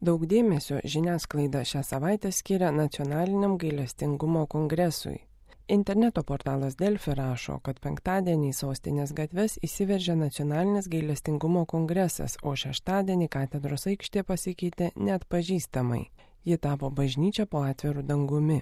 Daug dėmesio žiniasklaida šią savaitę skiria Nacionaliniam gailestingumo kongresui. Interneto portalas Delfi rašo, kad penktadienį į sostinės gatves įsiveržė Nacionalinis gailestingumo kongresas, o šeštadienį katedros aikštė pasikeitė neatpažįstamai. Ji tapo bažnyčia po atviru dangumi.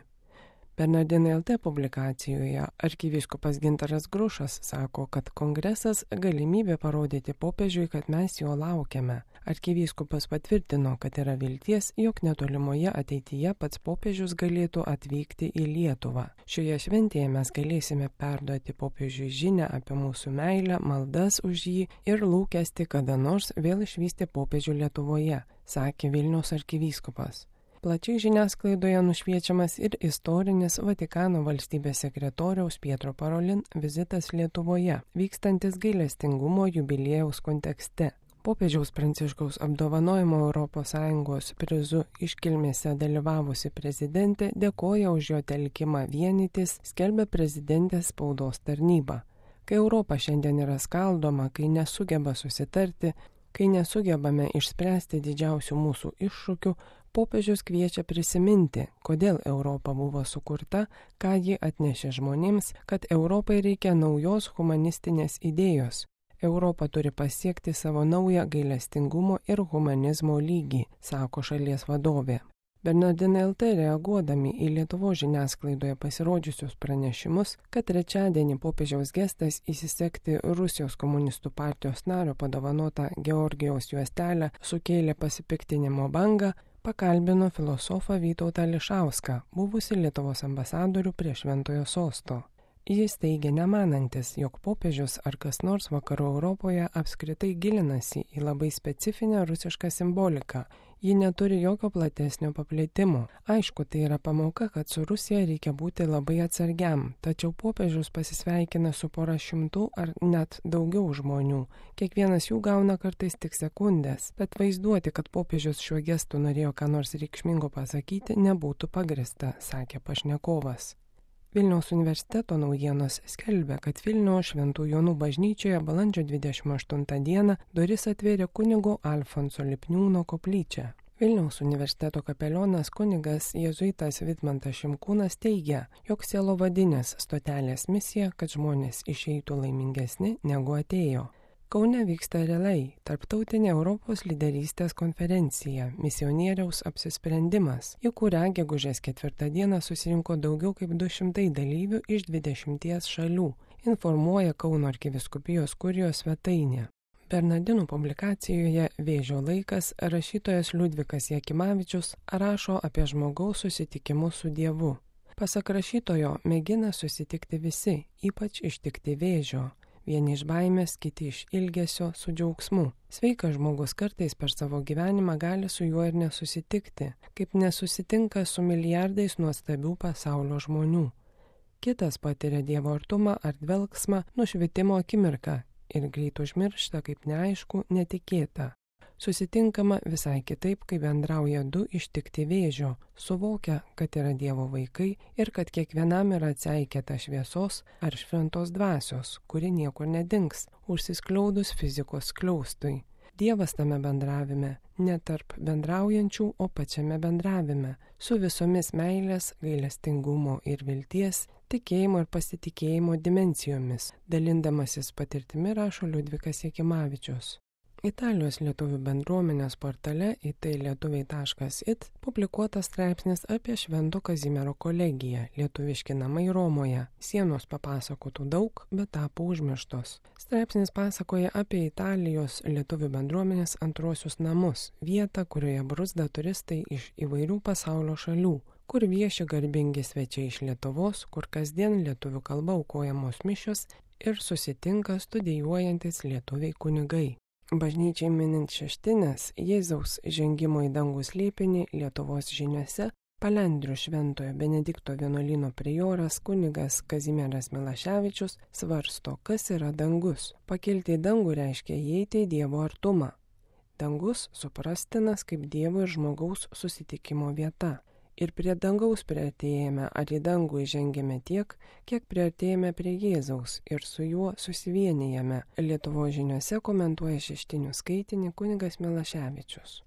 Bernardinai LT publikacijoje arkivyskupas Gintaras Grušas sako, kad kongresas galimybė parodyti popiežiui, kad mes jo laukiame. Arkivyskupas patvirtino, kad yra vilties, jog netolimoje ateityje pats popiežius galėtų atvykti į Lietuvą. Šioje šventėje mes galėsime perduoti popiežiui žinią apie mūsų meilę, maldas už jį ir lūkestį kada nors vėl išvysti popiežių Lietuvoje, sakė Vilniaus arkivyskupas. Plačiai žiniasklaidoje nušviečiamas ir istorinis Vatikano valstybės sekretoriaus Pietro Parolin vizitas Lietuvoje, vykstantis gailestingumo jubiliejaus kontekste. Popiežiaus Pranciškaus apdovanojimo ES prizu iškilmėse dalyvavusi prezidentė dėkoja už jo telkimą vienytis, skelbia prezidentės spaudos tarnyba. Kai Europa šiandien yra skaldoma, kai nesugeba susitarti, kai nesugebame išspręsti didžiausių mūsų iššūkių, popiežius kviečia prisiminti, kodėl Europa buvo sukurta, ką ji atnešė žmonėms, kad Europai reikia naujos humanistinės idėjos. Europa turi pasiekti savo naują gailestingumo ir humanizmo lygį, sako šalies vadovė. Bernardinai LT reaguodami į Lietuvos žiniasklaidoje pasirodžiusius pranešimus, kad trečiadienį popiežiaus gestas įsisekti Rusijos komunistų partijos nario padovanotą Georgijaus juostelę sukėlė pasipiktinimo bangą, pakalbino filosofą Vytautą Ališauską, buvusi Lietuvos ambasadorių prie Šventojo sosto. Jis teigia nemanantis, jog popiežius ar kas nors vakarų Europoje apskritai gilinasi į labai specifinę rusišką simboliką. Ji neturi jokio platesnio paplitimo. Aišku, tai yra pamoka, kad su Rusija reikia būti labai atsargiam, tačiau popiežius pasisveikina su pora šimtų ar net daugiau žmonių. Kiekvienas jų gauna kartais tik sekundės, bet vaizduoti, kad popiežius šiuo gestu norėjo ką nors reikšmingo pasakyti, nebūtų pagrįsta, sakė pašnekovas. Vilniaus universiteto naujienos skelbia, kad Vilniaus Šventų Jonų bažnyčioje balandžio 28 dieną duris atvėrė kunigo Alfonso Lipniūno koplyčia. Vilniaus universiteto kapelionas kunigas jėzuitas Vidmantas Šimkūnas teigia, jog sielovadinės stotelės misija, kad žmonės išeitų laimingesni negu atėjo. Kaune vyksta realiai tarptautinė Europos lyderystės konferencija Misionieriaus apsisprendimas, į kurią gegužės 4 dieną susirinko daugiau kaip 200 dalyvių iš 20 šalių, informuoja Kauno arkivyskupijos kurijos svetainė. Bernardinų publikacijoje Vėžio laikas rašytojas Liudvikas Jakimavičius rašo apie žmogaus susitikimus su Dievu. Pasak rašytojo, mėgina susitikti visi, ypač ištikti vėžio. Vieni iš baimės, kiti iš ilgesio su džiaugsmu. Sveikas žmogus kartais per savo gyvenimą gali su juo ir nesusitikti, kaip nesusitinka su milijardais nuostabių pasaulio žmonių. Kitas patiria Dievo artumą ar dvelksmą nušvitimo akimirką ir greit užmiršta kaip neaišku, netikėta. Susitinkama visai kitaip, kai bendrauja du ištikti vėžio, suvokia, kad yra Dievo vaikai ir kad kiekvienam yra atseikėta šviesos ar šventos dvasios, kuri niekur nedings, užsiskliaudus fizikos skliaustui. Dievas tame bendravime, ne tarp bendraujančių, o pačiame bendravime, su visomis meilės, gailestingumo ir vilties, tikėjimo ir pasitikėjimo dimensijomis, dalindamasis patirtimi rašo Liudvikas Jakimavičius. Italijos lietuvių bendruomenės portale italietuviai.it publikuotas straipsnis apie Švento Kazimiero kolegiją Lietuviški namai Romoje. Sienos papasakotų daug, bet tapo užmirštos. Straipsnis pasakoja apie Italijos lietuvių bendruomenės antrosius namus, vietą, kurioje bruzda turistai iš įvairių pasaulio šalių, kur vieši garbingi svečiai iš Lietuvos, kur kasdien lietuvių kalba aukojamos mišios ir susitinka studijuojantis lietuviai kunigai. Bažnyčiai minint šeštinės Jėzaus žengimo į dangų slėpinį Lietuvos žiniose Palendrių Šventojo Benedikto vienuolyno prioras kunigas Kazimieras Milaševičius svarsto, kas yra dangus. Pakilti į dangų reiškia įeiti į Dievo artumą. Dangus suprastinas kaip Dievo ir žmogaus susitikimo vieta. Ir prie dangaus priartėjame ar į dangų įžengėme tiek, kiek priartėjame prie Jėzaus ir su juo susivienijame. Lietuvos žiniose komentuoja šeštinių skaitinį kunigas Milaševičius.